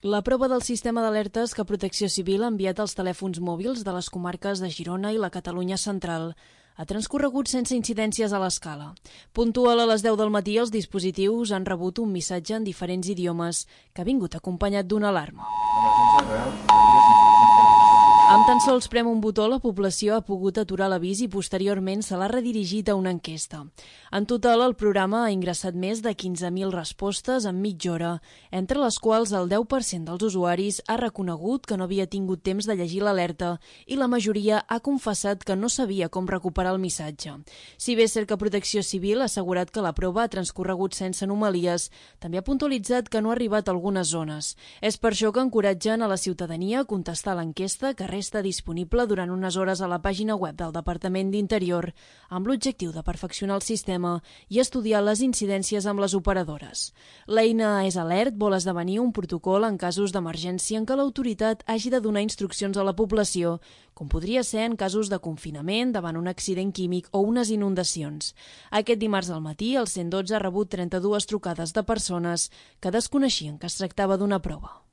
La prova del sistema d'alertes que Protecció Civil ha enviat als telèfons mòbils de les comarques de Girona i la Catalunya central ha transcorregut sense incidències a l'escala. Puntual a les 10 del matí, els dispositius han rebut un missatge en diferents idiomes que ha vingut acompanyat d'una alarma. Amb tan sols prem un botó, la població ha pogut aturar l'avís i posteriorment se l'ha redirigit a una enquesta. En total, el programa ha ingressat més de 15.000 respostes en mitja hora, entre les quals el 10% dels usuaris ha reconegut que no havia tingut temps de llegir l'alerta i la majoria ha confessat que no sabia com recuperar el missatge. Si bé és cert que Protecció Civil ha assegurat que la prova ha transcorregut sense anomalies, també ha puntualitzat que no ha arribat a algunes zones. És per això que encoratgen a la ciutadania a contestar l'enquesta que resta disponible durant unes hores a la pàgina web del Departament d'Interior amb l'objectiu de perfeccionar el sistema i estudiar les incidències amb les operadores. L'eina És Alert vol esdevenir un protocol en casos d'emergència en què l'autoritat hagi de donar instruccions a la població, com podria ser en casos de confinament davant un accident químic o unes inundacions. Aquest dimarts al matí, el 112 ha rebut 32 trucades de persones que desconeixien que es tractava d'una prova.